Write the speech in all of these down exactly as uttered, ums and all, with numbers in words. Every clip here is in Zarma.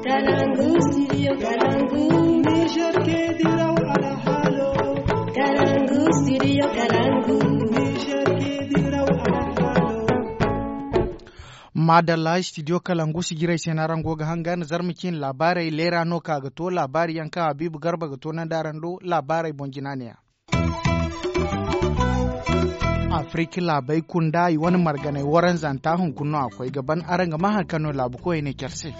Kalangu, studio Kalangu. Niger ke diraw alhalo. Kalangu, studio Kalangu. Niger ke diraw alhalo. Madalla, studio Kalangu sijirey se no araŋ go ga hangan zarma cine laabaarey leera no ka ga to laabaari yaŋ kaŋ Habiibu Garba ga toonandi araŋ do laabaarey boŋ jina ne-ya. Afirika laabey kunda i wane marganay waranzanta hunkuna no a koy ga ban araŋ ga maa hari kaŋ no laabu koyey ne care se.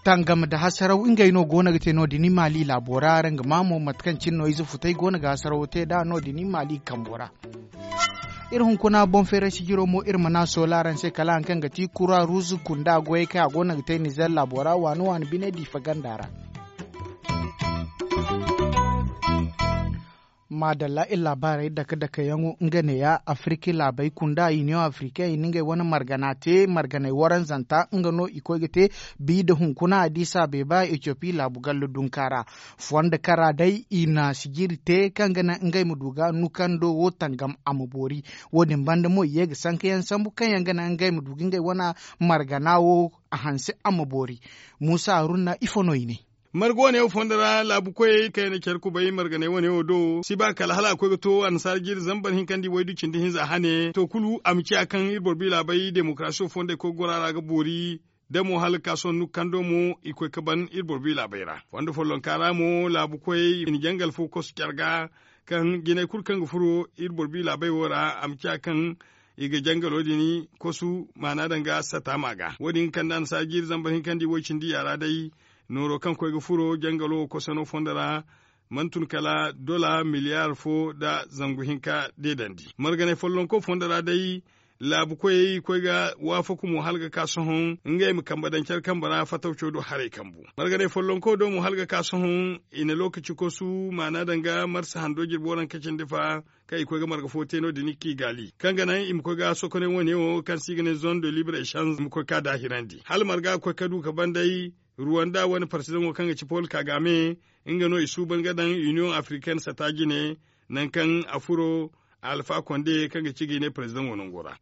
Tangam nda hasaraw ngey no go no ga te no- din i maali laabo ra araŋ ga maa mo mate kaŋ cine no ize futay go no ga hasarawo te nd'a no- din i maali kambo ra. Iri hunkuna boŋ feeray sijiro mo iri mana soola araŋ se kala hari kaŋ ga ti kura ruuzu kunda goyey kaŋ a go no ga te nizer laabo ra waani waani bine diifa ganda ra. Maadalla iri laabaarey dake dake yaŋo nga neeya afirika laabey kunda iniyoŋ afirikaŋ i na ngey wane margana te marganey waranzanta nga no i koy ga te bi nda hunkuna adiisa beeba etiyopi laabu gallo dunka ra. Fondo kara day i na sijiri te kaŋ ga naŋ ngey ma du ga nukando wo tangam a ma boori. Wo- din banda mo i ye ga sanka yaŋ sambu kaŋ yaŋ ga naŋ ngey ma du ga ngey wane margana wo a hanse a ma boori. Muusa haruna ifo no i ne? Marga wane wo fondo ra laabu koyey kaŋ yaŋ na care kubay marganey wane wo do si ba kala hala a koy ga to annasaara jiiri zambar hinka nda i waydu cindi hinza hane to kulu a ma ciya kaŋ iri boro bi laabey demokarasi wo fondo i koy ga goro a ra ga boori. Da mo hala ga ka sohõ nukando mo i koy ga ban iri boro bi laabey ra fondo follonka ra mo laabu koyey i na jangal fo kosu care ga kaŋ jinay kulu kaŋ ga furo iri boro bi laabey wo ra a ma ciya kaŋ i ga jangalo din kosu maana daŋ ga sata ma ga wo- din ga kande annasaara jiiri zambar hinka nda i way cindi yaara day. Nooro kaŋ koy ga furo jangalo wo kosano fondo ra mana tun kala dola miliyar fo nda zangu hinka deedandi marganay follonko fondo ra day. Laabu koyey i koy ga waafaku mo hala ga ka sohõ ngey ma kambe daŋ care kambe ra fatawco do haray kambu marganay follonko do mo hala ga ka sohõ i na lookaci kosu maana daŋ ga marsa hando jirbi waranka cindi fa kaŋ i koy ga marga fo te no- din kigali kaŋ ga naŋ i ma koy ga sokonay wane wo kaŋ se i ga ne zone de libre echange i ma koy ga daahirandi hala marga ga koy ga du ga ban day. Ruwanda wane parsizaŋo kaŋ ga ci pol kagame nga no i suuban ga daŋ iniyoŋ afirikaine sata jine nangu kaŋ a furo alfa konde kaŋ ga ci ga i ne parsizaŋo nango ra.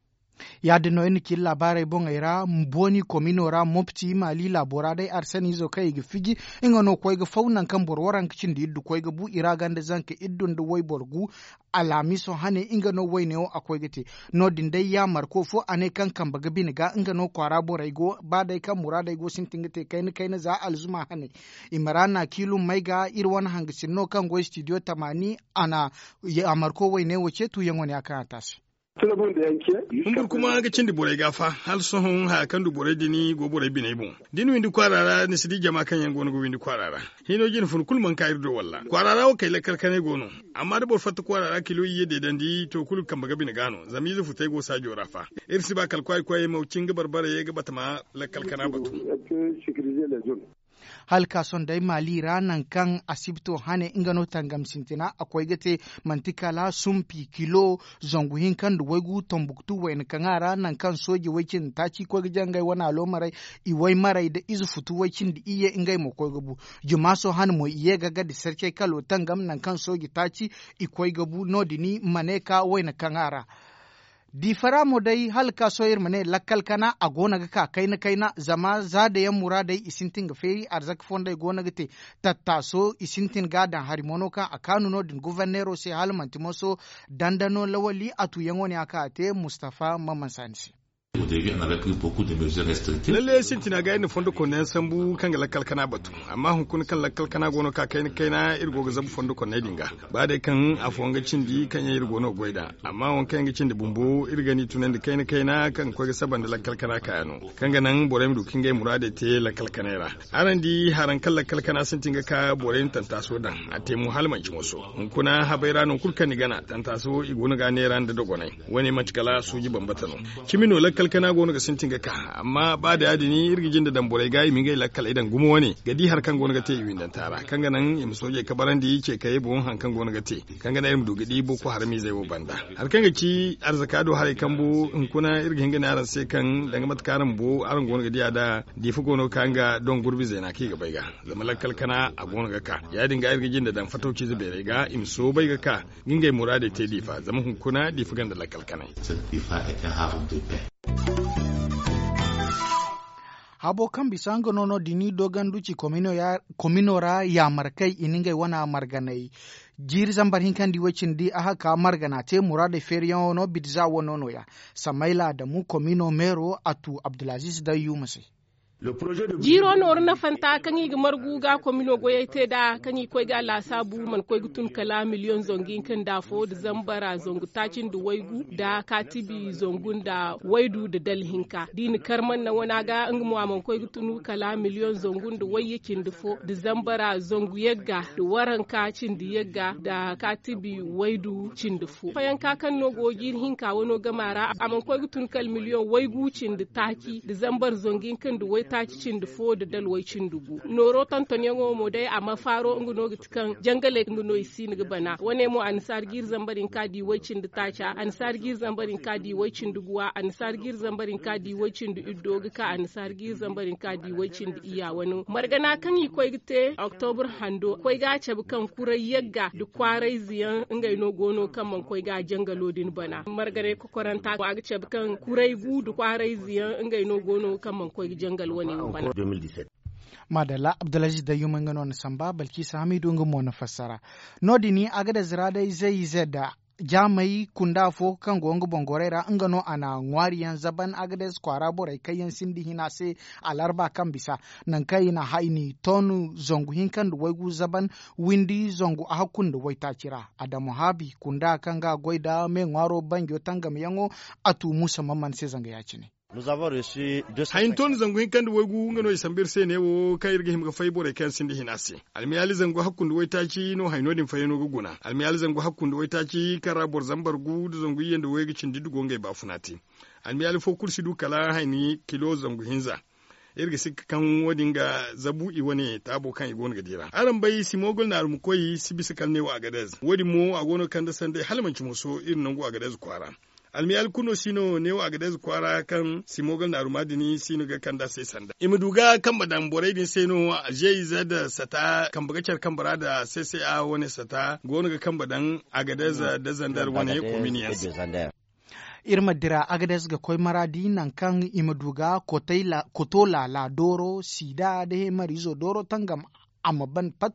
Ya- din no iri na ci iri laabaarey boŋey ra booni komino ra mopti maali laabo ra day arsaniizo kaŋ i ga fiji nga no koy ga faw nangu kaŋ boro waranka cindi iddu koy ga bu i ra ganda zanka iddu nda wayboro gu. Alhamiiso hane nga no wayne wo a koy ga te. No- din day yaamarko fo a ne kaŋ kambe ga bine ga nga no kwaara borey go ba day kaŋ muraadey go sintin ga te kayna kayna za alzuma hane. I ma ra na kiilum may ga iri wane hangasin no kaŋ goy stidiyo tamaani a na yaamarko wayne wo ceetu yaŋo ne a kaŋ a te a se. Humbur kuma ga cindi borey ga fa hala sohõ haya kaŋ du borey din go borey biney boŋ. Da ni windi kwaara ra ni si di jama kaŋ yaŋ go no ga windi kwaara ra. Hino jine fun kulu mana ka iri do walla kwaara ra wo kay lakkal kanay go no. Amma da boro fatta kwaara ra kilo iyye deedandi to kulu ga kambe ga bine ga no zama ize futay go saajo ra fa. Iri si ba kala kwaay kwaayey ma cin ga barbara ye ga batama lakkal kana batu. Hala ka sohõ day maali ra nangu kaŋ asibito hane nga no tangam sintina a koy ga te. Manti kala sumpi kilo zangu hinka nda waygu tombuktu wayna kaŋ a ra nangu kaŋ sooji way cindi taaci koy ga jangay wane aloomarey i waymarey nda ize futu way cindi iyye ngey mo koy ga bu. Jumaaso hane mo i ye ga gadi sarcey kalo tangam nangu kaŋ sooji taaci i koy ga bu no- din ma ne ka wayna kaŋ a ra. Diifara mo day hala ga ka sohõ iri ma ne lakkal kana a go no ga ka kayna kayna zama za da yaŋ muraadey i sintin ga feeri arzaka fondey go no ga te. Tattaaso i sintin ga a daŋ hari mo no kaŋ a kaanu no- din guverneero se hala manti moso dandano lawali a tuuyaŋo ne a kaŋ a te mustafa mamansaani se. Lalle sintina ga iri na fondo konda yaŋ sambu kaŋ ga lakkal kana batu. Amma hunkuna kaŋ lakkal kana go no ka kayna kayna iri go ga zabu fondo konney din ga ba day kaŋ afooyaŋ ga cindi kaŋ yaŋ iri go no ga goy nd'a. Amma waŋ kaŋ yaŋ ga cindi bumbo iri ga ni tunandi kayna kayna kaŋ ga koy ga saba nda lakkal kana kaayaŋo kaŋ ga naŋ borey ma du ka ngey muraadey te lakkal kanay ra. Araŋ di haraŋ kaŋ lakkal kana sintin ga ka borey na tantaaso daŋ a te mo hala manci moso. Hunkuna habey ra nangu kulu kaŋ ni gana tantaaso i go no ga a neera nda dogonay. Wo- ne manti kala suuji bambata no. Cimi no lakkal kana go no ga sintin ga ka. Amma ba da ya- din iri ga jinde daŋ borey ga i ma ngey lakkaley daŋ gumo wane ga di hari kaŋ go no ga te i windanta ra kaŋ ga naŋ i ma soojey kabarandi ce kayey boŋ hari kaŋ go no ga te kaŋ ga naŋ iri ma du ga di boko haramiizey wo banda. Hari kaŋ ga ci arzaka do haray kambu hunkuna iri ga hin ga ne araŋ se kaŋ danga mate kaŋ araŋ bu araŋ go no ga diya da diifa go no ga ka nga doŋ gurbi zeena kaŋ i ga bay ga. Zama lakkal kana a go no ga ka ya- din ga iri ga jinde daŋ fatawciize beerey ga i ma soobay ga ka ga ngey muraadey te diifa zama hunkuna diifa ganda lakkal kanay. Abo kaŋ bisa nga no no da i n'i doogandu ci komino ra yaamar kay i na ngey wana marganay. Jiiri zambar hinka nda i way cindi a haka margana te muraadey feeriyaŋo no bidza wano no- ya. Samayla adamu komino meero a tu abdulaziz dayyuma se. Jiiro nooru nafanta kaŋ i ga margu ga komino goyey te nd'a kaŋ i koy ga a laasaabu mana koy ga tun kala miliyoŋ zangu hinka nda afo nda zambara zangu taaci nda waygu nda kaatibi zangu nda waydu nda dala hinka da i na kar manna wana ga nga mo a mana koy ga tun kala miliyoŋ zangu nda wayye cindi fo nda zambara zangu yagga nda waranka cindi yagga nda kaatibi waydu cindi fo fayanka kaŋ no go jiiri hinka wano gama ra a mana koy ga tun kala miliyoŋ waygu cindi taaci nda zambar zangu hinka nda waytaaci cindi fo nda dalway cindi gu nooro tontonyaŋo mo day a ma faaro nga no ga ti kaŋ jangaley nga no i si no ga bana wane mo annasaara jiiri zambar hinka da i way cindi taaca annasaara jiiri zambar hinka da i way cindi guwa annasaara jiiri zambar hinka da i way cindi iddo ga ka annasaara jiiri zambar hinka da i way cindi iyya wane margana kaŋ i koy ga te oktobur hando koy ga a cabe kaŋ kuray yagga nda kwaarayze yaŋ ngey no go no kaŋ mana koy ga a jangalo din bana marganay kokoranta a ga cabe kaŋ kuray gu nda kwaarayze yaŋ ngey no go no kaŋ mana koy ga jangal wane wo bana. Maadalla abdulaziz dayyuma nga no na samba balkisa hamidu nga mo na fassara. No- din agades ra day zey zedda jaamey kunda fo kaŋ go nga boŋ gorey ra nga no a na ŋwaari yaŋ zaban agades kwaara borey kaŋ yaŋ sinda hina se. Alarba kaŋ bisa nangu kaŋ i na hayni ton zangu hinka nda waygu zaban windi zangu ahakku nda waytaaci ra. Adamu haabi kunda kaŋ ga goy nda me ŋwaaro banjo tangamyaŋo a tu muusa mamman se zanga ya- cine. Hayanto nda zangu hinka nda waygu nga no i sambu iri se neewo kaŋ iri ga hima ga fay borey kaŋ yaŋ sinda hina se. Almiyaali zangu hakku nda waytaaci no hayno din fayano ga guna almiyaali zangu hakku nda waytaaci kaŋ ra boro zambar gu nda zangu iyye nda waygu cindi nda go ngey baafuna te. Almiyaali fo kulu si du kala hayni kilo zangu hinza. Iri ga sikka kaŋ wo- din ga zabu i wane taabo kaŋ i go no ga di ra araŋ bay simogol naaru ma koy si bisa kala neewo agadez wo- din mo a go no ga kande sanday hala manci moso iri nangu agadez kwaara. Almiyaali kulu no si no neewo agadez kwaara kaŋ simogol naaru ma din si no ga kande a se sanda i ma du ga kambe daŋ borey din se no. Zey za nda sata kambe ga care kambe ra nda sese a wane sata go no ga kambe daŋ agadez nda zandar wane kominiyaŋ se. Iri ma dira agades ga koy maraadi nangu kaŋ i ma du ga koto laala dooro siida nda heemariizo dooro tangam. A ma ban pat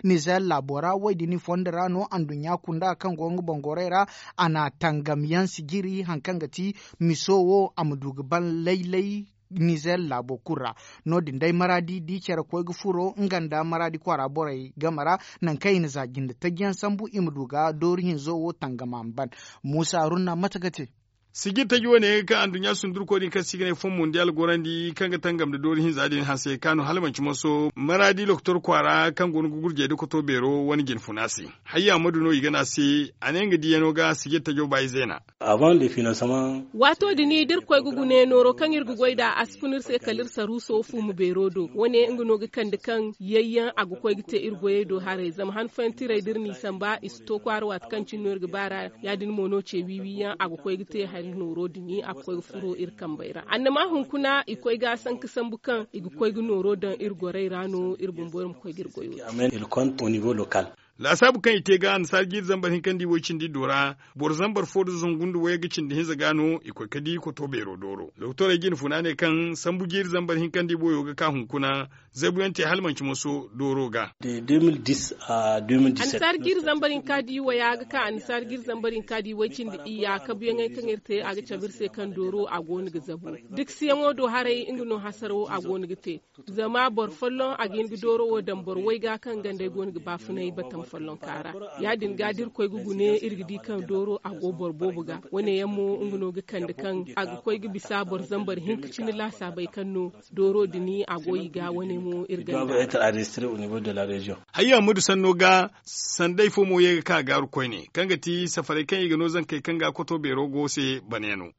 nizer laabo ra wo- din fondo ra no anduɲɲa kunda kaŋ go nga boŋ gorey ra. A na tangam yaŋ sijiri hari kaŋ ga ti miso wo a ma du ga ban laylay. Nizer laabo kulu ra no- din day maraadi da i care koy ga furo nga nda maraadi kwaara borey game ra nangu kaŋ i na za jinde taji yaŋ sambu i ma du ga dooru hinzo wo tangam a ma ban. Muusa haruna mate ga te. Sijir taji wane kaŋ anduɲɲa sundurko din kaŋ se i ga ne fon mondial gorandi kaŋ ga tangam nda dooru hinza din hanse kaanu hala manci moso maraadi lokotor kwaara kaŋ go no ga gurjey nda koto beero wane jinfuna se. Hayya ma du no i ga ne a se a ne nga diyano ga sijir tajo ba i zeena. Waato din da iri koy ga gune nooro kaŋ iri ga goy nd'a a si fun iri se kala iri saruuso fuumu beero do wane nga no ga kande kaŋ yayyaŋ a ga koy ga te iri goyey do haray zama han fooyaŋ tiray da iri n'i samba i si to kwaara waati kaŋ cine no iri ga ba ra. Ya- din mo no ce wiiwiyaŋ a ga koy ga te hari nooro din a ga koy ga furo iri kambey ra annama hunkuna i koy ga a sanka sambu kaŋ i ga koy ga nooro daŋ iri gorey ra no iri bumbo iri ma koy ga iri goyo te. Laasaabu kaŋ i te ga annasaara jiiri zambar hinka nda i way cindi iddo ra boro zambar fo nda zangu nda wayga cindi hinza ga no i koy ga di koto beero dooro doktorey jine funa ne kaŋ sambu jiiri zambar hinka nda i boyo ga ka hunkuna. Zabuyaŋ te hala manci moso dooro ga. Annasaara jiiri zambar hinka nda i waya ga ka annasaara jiiri zambar hinka nda i way cindi iyya kabuyaŋey kaŋ iri te a ga cabe iri se kaŋ dooro a go no ga zabu. Dikasiyaŋo do haray nga no hasarawo a go no ga te. Zama boro folloŋ a ga hin ga dooro wo daŋ boro wayga kaŋ gandey go no ga baafunay batam follonka ra. Ya- din ga da iri koy ga gune iri ga di kaŋ dooro a go boro boobo ga wane yaŋ mo nga no ga kande kaŋ a ga koy ga bisa boro zambar hinka cine laasaabey kaŋ no dooro din a go i ga wane mo iri ganda ra. Hayya ma du sanno ga sandey fo mo ye ga ka gaaru koyne kaŋ ga ti safarey kaŋ i ga no zankey kaŋ ga koto beero go se bane no.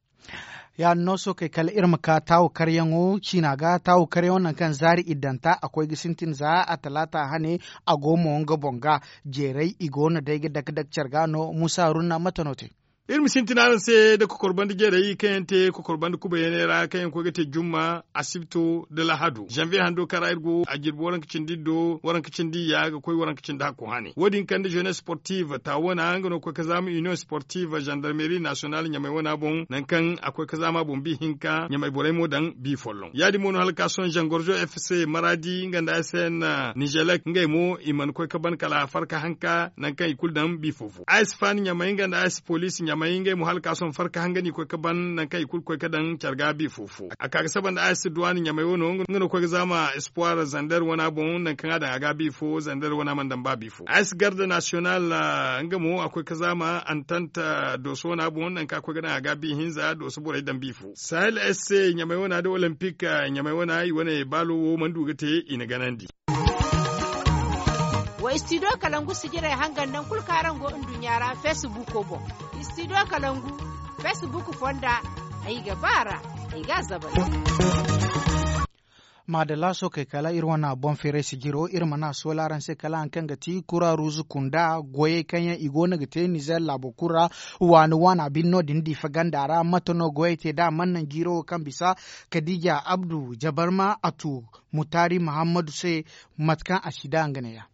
Ya- din no sookey kala iri ma ka taawu karyaŋo ciina ga taawu karyaŋo nangu kaŋ zaari iddanta a koy ga sintin za a talaata hane. A go mo nga boŋ ga jeeray i go no day ga dake dake care ga no muusa haruna mate no te. Iri ma sintin araŋ se nda kokorbandi jarey kaŋ yaŋ te kokorbandi kubayyaney ra kaŋ yaŋ koy ga te jumma, asibto nda lahadu zanviye hando kaŋ ra iri go a jirbi waranka cindi iddo waranka cindi iyya ga koy waranka cindi hakku hane wo- din kande jeunesse sportive taawana nga no ga koy ga zaama union sportive zandarmeri nasiyonal ɲamay wana boŋ nangu kaŋ a koy ga zaama boŋ bi hinka ɲamay borey mo daŋ bi folloŋ ya- din mo no hala ga ka sohõ zangorzo fc maradi nga nda a s n nizelek ngey mo i mana koy ga ban kala farka hanka nangu kaŋ i kulu daŋ bi fo fo a s fan ɲamay nga nda a s police ɲamay ngey mo hala ga ka sohõ farka hanga no i koy ga ban nangu kaŋ i kulu ga koy ga daŋ care ga bi fo fo a ka ga saba nda a s duwani ɲamay wano nga no ga koy ga zaama espoir zander wana boŋ nangu kaŋ a daŋ a ga bi fo zander wana mana daŋ ba bi fo a s garde nasiyonal nga mo a koy ga zaama antant dooso wana boŋ nangu kaŋ a koy ga daŋ a ga bi hinza dooso borey daŋ bi fo sahel s ɲamay wana nda olympic ɲamay wana i wane baalo wo mana du ga te i na ganandi. Wa istidiyo kalangu sijirey hangan nangu kulu kaŋ araŋ go nduɲɲa ra feesibuuko boŋ. Istidiyo kalangu feesibuuko fonda ay ga ba a ra ay ga a zabay. Maadalla sookey kala iri wane boŋ feeray sijiro iri mana a soola araŋ se kala hari kaŋ ga ti kura ruuzu kunda goyey kaŋ yaŋ i go no ga te nizer laabo kulu ra. Waani waana bine no- din diifa ganda ra mate no goyey te nd'a mana naŋ jiiro wo kaŋ bisa kadiija abdu jabarma a tu mutaari muhammadu se. Mate kaŋ a si da nga ne ya.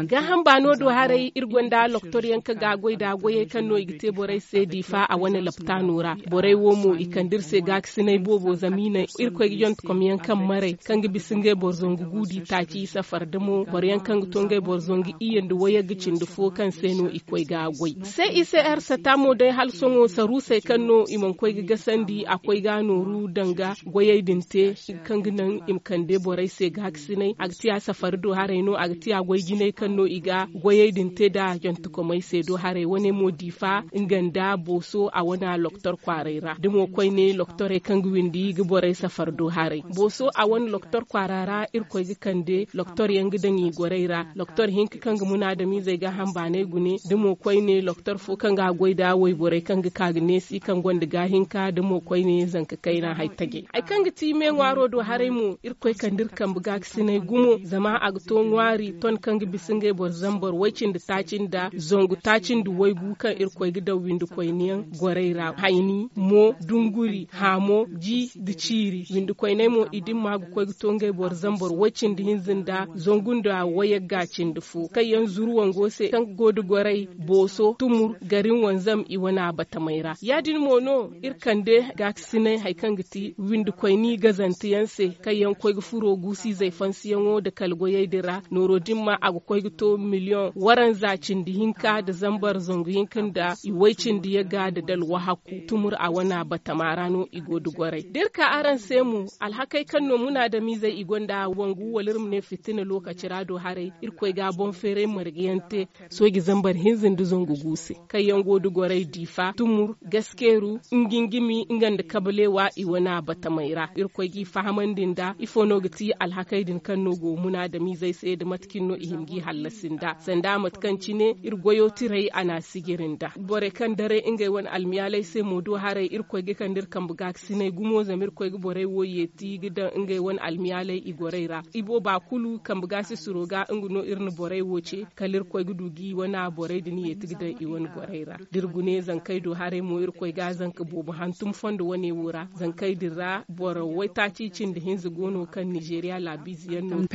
Gaaham baano do haray iri gonda loktor yaŋ kaŋ ga a goy nd'a goyey kaŋ no i ga te borey se diifa a wane laptaano ra. Borey wo mo i kande iri se gaakasinay boobo zama i naŋ irkoy ga jonte kom yaŋ kaŋ maray kaŋ ga bisa ngey boro zangu guudi taaci safar da mo boro yaŋ kaŋ ga to ngey boro zangu iyye nda wayagga cindi fo kaŋ se no i koy ga a goy. Se i se arsata mo day hala sohõ saruusey kaŋ no i mana koy ga gasandi a koy ga a nooru danga goyey din te kaŋ ga naŋ i ma kande borey se gaakasinay a ga ti a safari do haray no a ga ti a goy jinay kaŋ no i ga goyey din te nd'a jantekomey se do haray wane mo diifa nga nda booso a wane a loktor kwaaray ra da mo koyne loktorey kaŋ ga windi ga borey safari do haray booso a wane loktor kwaara ra irkoy ga kande loktor yaŋ ga daŋ i gorey ra. Loktor hinka kaŋ ga munaadamizey gaaham baanay gune da mo koyne loktor fo kaŋ ga a goy nda wayborey kaŋ ga ka ga neesi kaŋ gonda gaahinka da mo koyne zanka kayna hari tajay hari kaŋ ga ti me ŋwaaro do haray mo irkoy kande iri kambe gaakasinay gumo zama a ga to ŋwaari ton kaŋ ga bisa ngey boro zambar way-cindi taaci nda zangu taaci nda waygu kaŋ irkoy ga daŋ windikoyne yaŋ gorey ra hayni mo dunguri haamo ji nda ciiri windikoyney mo i dimma ga koy ga to ngey boro zambar way-cindi hinza nda zangu nda wayagga cindi fo kaŋ yaŋ zuru wango se kaŋ go da gorey booso tumur garin wanzam i wane a batamey ra ya- din mo no iri kande gaakasinay hari kaŋ ga ti windikoyni gazante yaŋ se kaŋ yaŋ koy ga furo guusu izey fansiyaŋo nda kala goyey din ra nooro dimma a ga koy ga to miliyoŋ waranza cindi hinka nda zambar zangu hinka nda i way-cindi yagga nda dalwa hakku tumur a wane a batama ra no i go da gorey da iri ka araŋ se mo alhakey kaŋ no munaadamizey i gonda wangu wala iri ma ne fitina lookaci ra do haray irkoy ga a boŋ feeray marga yaŋ te sooji zambar hinza nda zangu gu se kaŋ yaŋ go da gorey diifa tumur gaskeeru ngingimi nga nda kabaleewa i wane a batamey ra irkoy g'i fahamandi nda ifo no ga ti alhakey din kaŋ no go munaadamizey se nda mate cine no i hin g'i hallasi nda sanda mate kaŋ cine iri goyo tiray a na a sijiri nda borey kaŋ daray ngey wane almiyaaley se mo do haray irkoy ga kande iri kambe gaakasinay gumo zama irkoy ga borey wo yeeti ga daŋ ngey wane almiyaaley i gorey ra ibooba kulu kambe gaasisiro ga nga no iri na borey wo ce kala irkoy ga du ga i wane a borey din yeeti ga daŋ i wane gorey ra da iri gune zankey do haray mo irkoy ga a zanka boobo hantum fondo wane wo ra zankey din ra boro waytaaci cindi hinza go no kaŋ nizeeriya laabiize yaŋ no.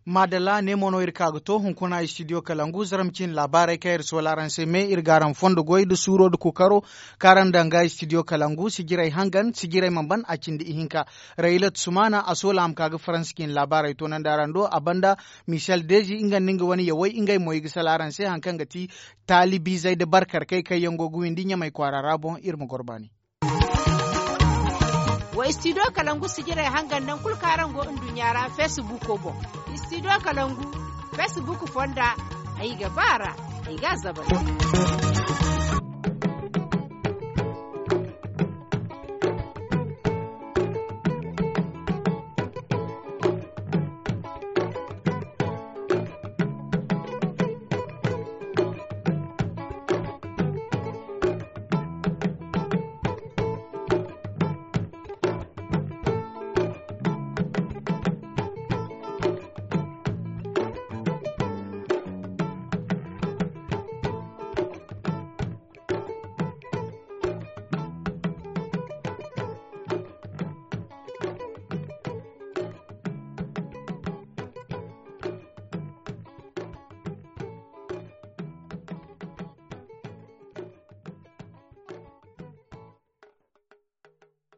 Maadalla ne mo no iri ka ga to hunkuna istidiyo kalangu zarma cine laabaarey kaŋ iri soola araŋ se me iri ga araŋ fondo goy nda suuro nda kookaro kaŋ araŋ daŋ ga istidiyo kalangu sijirey hangan sijirey mana ban a cindi ihinka raylat sumaana a soola a ma ka ga faransa cine laabaarey toonandi araŋ do a banda. Michel deezi nga nda nga wane yawey ngey mo i ga sala araŋ se hari kaŋ ga ti taalibiizey nda barkarkey kaŋ yaŋ go ga windi ɲamay kwaara ra boŋ iri ma goro baani. Wa istidiyo kalangu sijirey hangan nangu kulu kaŋ araŋ go nduɲɲa ra feesibuuko boŋ. Istidiyo kalangu feesibuuko fonda ay ga ba a ra ay ga a zabay.